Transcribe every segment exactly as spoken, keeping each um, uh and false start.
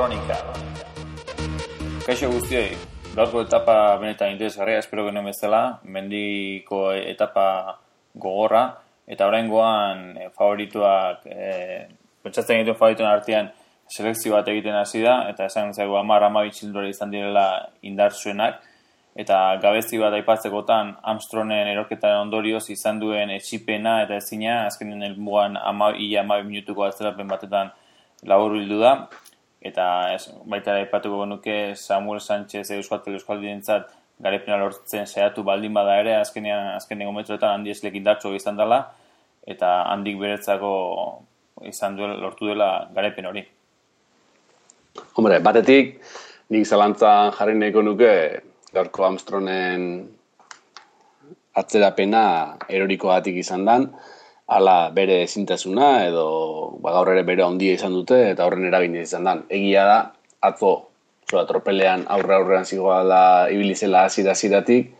Kronika. Kaixo guztioi, gaurko etapa benetan interesgarria, espero genuen bezala, mendiko etapa gogorra, eta oraingoan e, favorituak, e, pentsatzen egiten favorituen artean selekzio bat egiten hasi da, eta esan zaigu hamar hamabi txilindulari izan direla indartsuenak, eta gabezi bat aipatzekotan Armstrongen erorketaren ondorioz izan duen etxipena eta ezina, azkenen helmugan ia hamabi minutuko atzerapen batetan laburbildu da, eta ez, baita aipatuko genuke Samuel Sánchez Euskaltel Euskaldirentzat garaipena lortzen saiatu baldin bada ere, azkenean azkenengo metroetan handi eslek indartsu izan dela, eta handik beretzako izan duela, lortu dela garaipen hori. Hombre, batetik, nik zalantzan jarri nahiko nuke gaurko Armstrongen atzerapena erorikoagatik izan dan, ala bere ezintasuna edo ba, gaur ere bere handia izan dute eta horren eragina izan dan. Egia da, atzo zola tropelean aurre aurrean zigoala ibilizela hasiera-hasieratik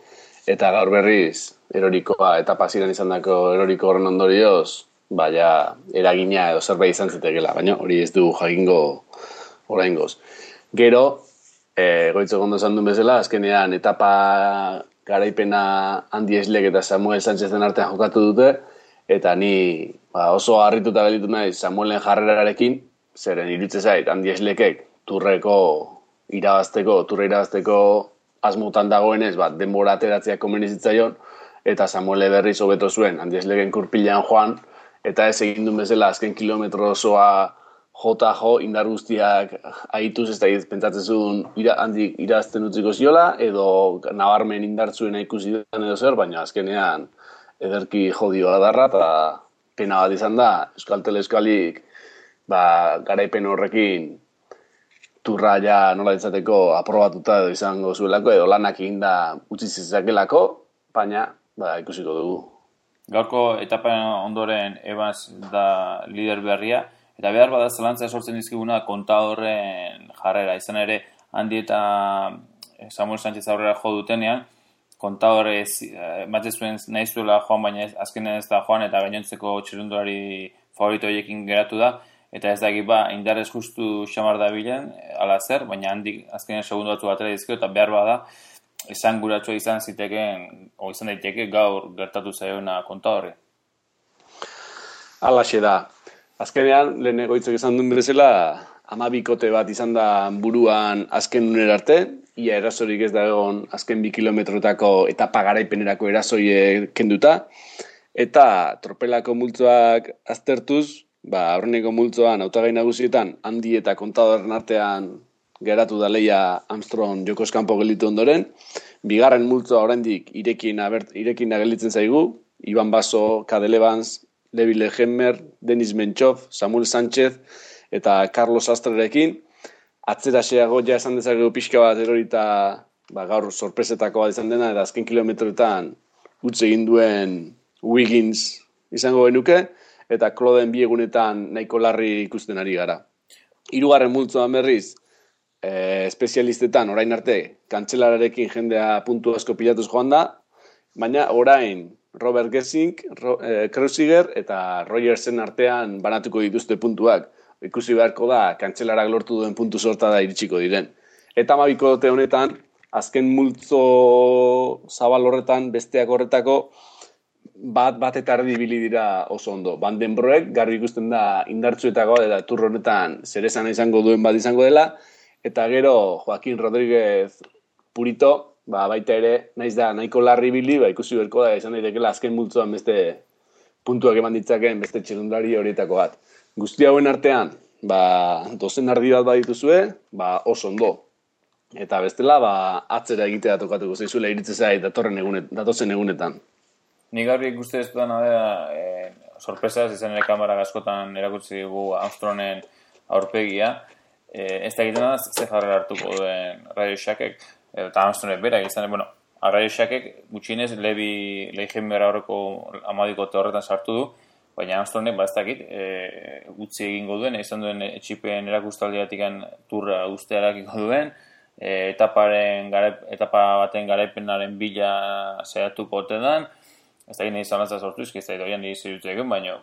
eta gaur berriz erorikoa etapa hasieran izan dako eroriko horren ondorioz, baina eragina edo zerbait izan zitekela, baina hori ez du jakingo oraingoz. Gero, E, goitzo gondo esan duen bezala, azkenean etapa garaipena Andy Schleck eta Samuel Sánchezen artean jokatu dute, eta ni ba, oso harrituta gelditu naiz Samuelen jarrerarekin, zeren iruditzen zait Andy Schleckek turreko irabazteko, turre irabazteko asmotan dagoenez, bat denbora ateratzea komeni zitzaion, eta Samuele berriz hobeto zuen Andy Schlecken kurpilan joan, eta ez egin duen bezala azken kilometro osoa jota jo, indar guztiak ahituz ez da pentsatzen zuen ira, handik irazten utziko ziola, edo nabarmen indartzuena ikusi den edo zer, baina azkenean ederki jodio adarra, eta pena bat izan da, Euskaltel Euskalik ba, garaipen horrekin turra ja nola ditzateko aprobatuta edo izango zuelako, edo lanak eginda utzi zezakelako, baina ba, ikusiko dugu. Gaurko etapa ondoren Evans da lider berria, eta behar bada zelantza sortzen dizkiguna Contadorren jarrera. Izan ere, Andy eta Samuel Sánchez aurrera jo dutenean, Contador ez, ematen zuen nahi zuela joan, baina ez, azkenean ez da joan, eta gainontzeko txirrindulari favorito horiekin geratu da, eta ez daki ba, indarrez justu xamar da bilen, ala zer, baina handik azkenean segundu batzu batera dizkio, eta behar bada, esan guratua izan ziteken, o izan daiteke gaur gertatu zaiona Contadorri. Alaxe da. Azkenean, lehen egoitzok esan duen bezala, amabikote bat izan da buruan azken unera arte, ia erasorik ez da egon azken bi kilometrotako etapa garaipenerako erasoie kenduta, eta tropelako multzoak aztertuz, ba, aurreneko multzoan hautagai nagusietan Andy eta Contadorren artean geratu da leia Armstrong jokoz kanpo gelditu ondoren, bigarren multzoa oraindik irekin abert, irekin gelditzen zaigu, Iban Basso, Cadel Evans, Levi Lehenmer, Denis Menchov, Samuel Sánchez eta Carlos Astrerekin. Atzeraxeago ja esan dezakegu pixka bat erorita ba, gaur sorpresetako bat izan dena, eta azken kilometroetan utz egin duen Wiggins izango genuke, eta Kloden bi egunetan nahiko larri ikusten ari gara. Hirugarren multzoan berriz, e, espezialistetan orain arte kantzelararekin jendea puntu asko pilatuz joan da, baina orain Robert Gessing, Ro, eh, Kreuziger eta Rogersen artean banatuko dituzte puntuak. Ikusi beharko da, kantzelarak lortu duen puntu sorta da iritsiko diren. Eta amabikote honetan, azken multzo zabal horretan, besteak horretako, bat bat eta erdi ibili dira oso ondo. Van den Broek, garbi ikusten da indartsuetako eta turro honetan zerezana izango duen bat izango dela, eta gero Joaquín Rodríguez Purito, ba, baita ere, naiz da, nahiko larri bili, ba, ikusi berko da, izan daitekela azken multzoan beste puntuak eman ditzakeen beste txirrindulari horietako bat. Guzti hauen artean, ba, dozen ardi bat badituzue, ba, oso ondo. Eta bestela, ba, atzera egitea tokatuko zaizuela iritze zait datorren egunet, datozen egunetan. Ni garbi ikuste ez dudan da, e, sorpresaz, izan ere kamera askotan erakutsi dugu Armstrongen aurpegia, e, ez da egiten da, ze jarrera hartuko duen Radio Shackek, eta Armstrongen berak izan, bueno, Radio Shackek gutxienez Levi Lehenmer aurreko amadikote horretan sartu du, baina Armstrongen ba ez dakit, e, gutxi egingo duen, izan duen etxipen erakustaldiatik turra guztiarakiko duen, e, etaparen garaip, etapa baten garaipenaren bila saiatuko ote dan, ez dakit nahi zalantzaz sortu, ez da doian nahi zirutu egun, baina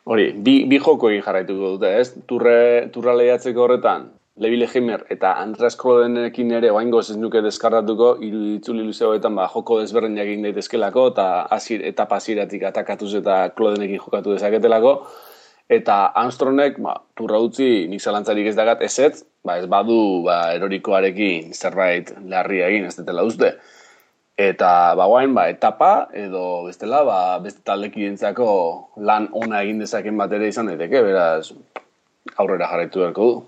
Hori, bi, bi joko egin jarraituko dute, ez? Turre, turra lehiatzeko horretan, Levi Legimer eta Andreas Klodenekin ere oaingoz ez nuke deskarratuko, hiru itzuli luze hoetan ba, joko desberdinak egin daitezkelako, eta azir, etapa hasieratik atakatuz eta Klodenekin jokatu dezaketelako, eta Armstrongek ba, turra utzi nik zalantzarik ez dagat ezetz, ba, ez badu ba, erorikoarekin zerbait larria egin ez dutela uste. Eta ba, guain, ba, etapa edo bestela ba, beste taldekientzako lan ona egin dezaken bat ere izan daiteke, beraz aurrera jarraitu beharko du.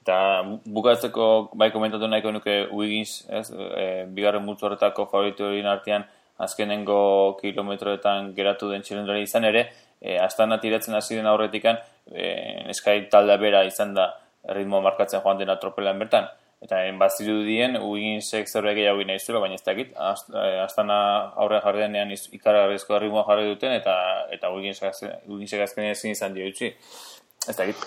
Eta bukatzeko bai komentatu nahiko nuke Wiggins, ez, e, bigarren multzo horretako favoritoen artean azkenengo kilometroetan geratu den txirrendulari izan ere, e, Astana tiratzen hasi den aurretikan, e, Sky taldea bera izan da ritmo markatzen joan dena tropelean bertan. Eta bazirudien Wigginsek zerbait gehiago nahi zuela, baina ez dakit. Astana aurrean jarri denean ikaragarrizko ritmoa jarri duten, eta eta Wigginsek azkenean ezin izan dio utzi. Ez dakit,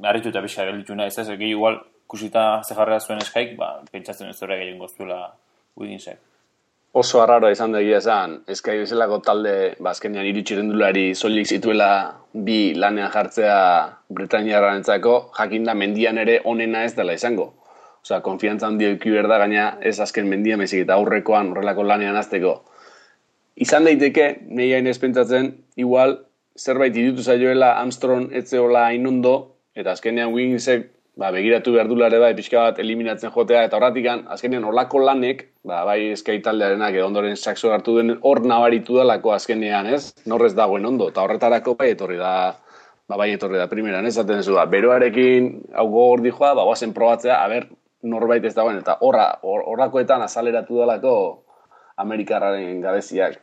harritu eta pixka gelditu nahi, ez ez, gehi igual kusita ze jarrera zuen Skyk, ba, pentsatzen ez zerbait gehiago zuela Wigginsek. Oso arraroa izan da egia esan, Sky bezalako talde, ba, azkenean hiru txirrendulari soilik zituela bi lanean jartzea Bretainiarrarentzako, jakinda mendian ere onena ez dela izango. Osea, konfiantza handia eduki behar da, gaina ez azken mendia mezik eta aurrekoan horrelako lanean azteko. Izan daiteke, nahi hain ez pentsatzen, igual, zerbait irutu zaioela Armstrong etzeola hain ondo, eta azkenean Wigginsek ba, begiratu behar dulare bai, pixka bat eliminatzen jotea, eta horratikan, azkenean olako lanek, ba, bai Sky taldearenak edo ondoren sakso hartu den hor nabaritu dalako azkenean, ez? Norrez dagoen ondo, eta horretarako bai etorri da, ba, bai etorri da primeran, ez? Zaten zu da, beroarekin hau gogor dijoa, ba, guazen probatzea, a ber, norbait ez dagoen, eta horra, horrakoetan azaleratu dalako Amerikarraren gabeziak.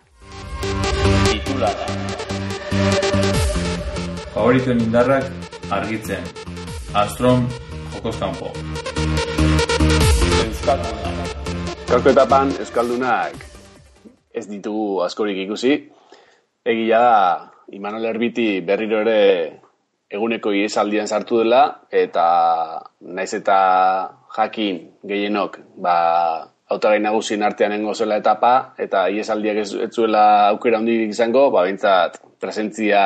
Titulara. Favoritoen indarrak argitzen. Armstrong jokoz kanpo. Euskaldunak. Gaurko etapan Euskaldunak ez ditugu askorik ikusi. Egia da, Imanol Erbiti berriro ere eguneko ihesaldian sartu dela, eta naiz eta jakin gehienok, ba, hautagai nagusien artean nengo zela etapa, eta ihesaldiak ez, ez zuela aukera handirik izango, ba, bintzat presentzia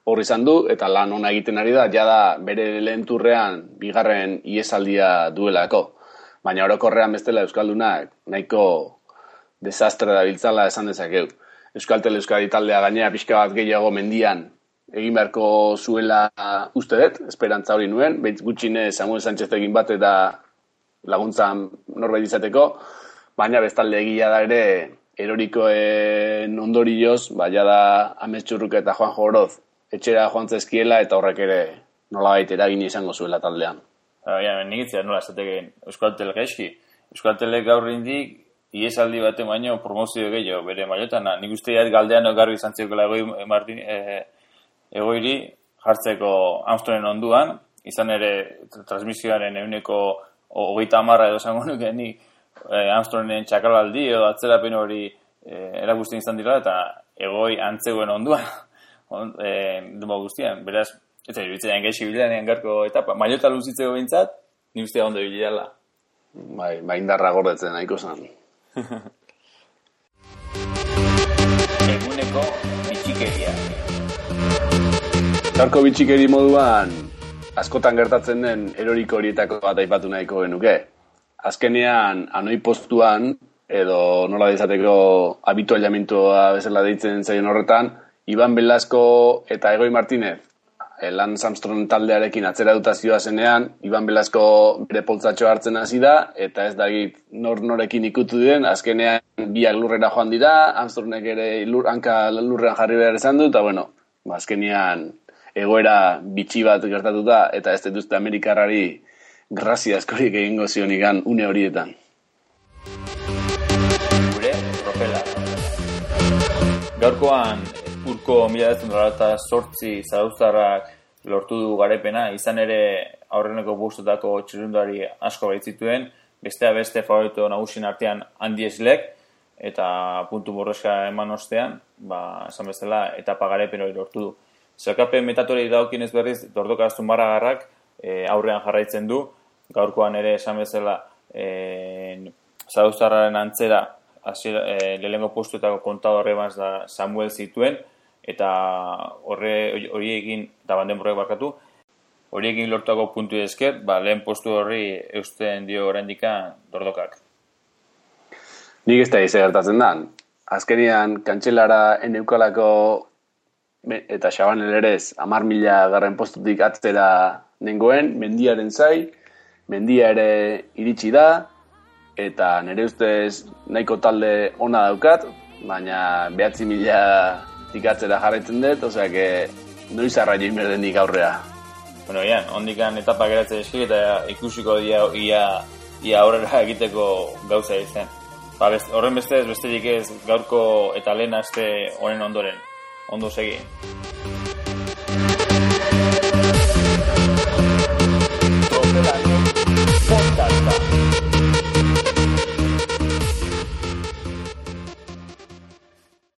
hor izan du, eta lan ona egiten ari da, jada bere lehen turrean bigarren ihesaldia duelako. Baina orokorrean bestela Euskaldunak nahiko desastre da biltzala esan dezakeu. Euskaltel Euskadi taldea gainera pixka bat gehiago mendian egin beharko zuela uste dut, esperantza hori nuen, behitz gutxine Samuel Sanchezekin bat eta laguntzan norbait izateko, baina bestalde egia da ere erorikoen ondorioz, baina da Ametxurruk eta Juan Joroz etxera joan zezkiela eta horrek ere nolabait eragin izango zuela taldean. Ja, nik itzera nola esateken Euskaltel gaizki. Euskaltelek gaur indik iesaldi baten baino promozio gehiago bere maiotana. Nik uste jat galdean garbi izan zirkola egoi Martin... E, egoiri jartzeko Armstrongen onduan, izan ere transmisioaren eguneko hogeita hamarra edo esango nuke ni Armstrongen txakalaldi edo atzerapen hori e, erakusten izan dira, eta egoi antzegoen onduan on, e, duma guztian. Beraz, ez da, iruditzen gaixi bilanean garko etapa. Maiota luzitzeko behintzat, ni ustea ondo bilela. Bai, bai indarra gordetzen nahiko zan. Eguneko bitxikeria. Gaurko bitxikeri moduan askotan gertatzen den eroriko horietako bat aipatu nahiko genuke. Azkenean, anoi postuan, edo nola dezateko habituallamentua bezala deitzen zaion horretan, Iban Velasco eta Egoi Martinez, Lance Armstrong taldearekin atzera dutazioa zenean, Iban Velasco bere poltzatxo hartzen hasi da, eta ez dakit nor norekin ikutu den, azkenean biak lurrera joan dira, Armstrongek ere lur, hanka lurrean jarri behar esan du, eta bueno, azkenean egoera bitxi bat gertatu da, eta ez dituzte Amerikarrari grazia askorik egingo zionikan une horietan. Gure tropela. Gaurkoan, urko mila bederatziehun eta zortzi zarauztarrak lortu du garepena, izan ere aurreneko bostetako txirrindulari asko baitzituen, bestea beste favorito nagusien artean Andy Schleck, eta puntu borroska eman ostean, ba, esan bezala, etapa garepen hori lortu du. Zerkapen metatorei daukien ez berriz, Dordoka Zumaragarrak e, aurrean jarraitzen du, gaurkoan ere esan bezala e, zarauztarraren antzera e, lehenengo postuetako kontador ebaz da Samuel zituen, eta horre horiekin, eta bandenborrek barkatu, horiekin lortuako puntu esker, ba, lehen postu horri eusten dio oraindikan Dordokak. Nik ez da ize gertatzen da. Azkenian, kantxelara eneukalako eta Xabanel erez hamar mila garren postutik atzera nengoen, mendiaren zai, mendia ere iritsi da, eta nire ustez nahiko talde ona daukat, baina behatzi mila tikatzera jarraitzen dut, osea que noiz arraio inberdenik aurrea. Bueno, ian, ondikan etapa geratzen eski eta ikusiko dia ia, ia aurrera egiteko gauza izan. Ba, best, horren bestez, besterik ez gaurko eta lehen aste honen ondoren. Ondo segi.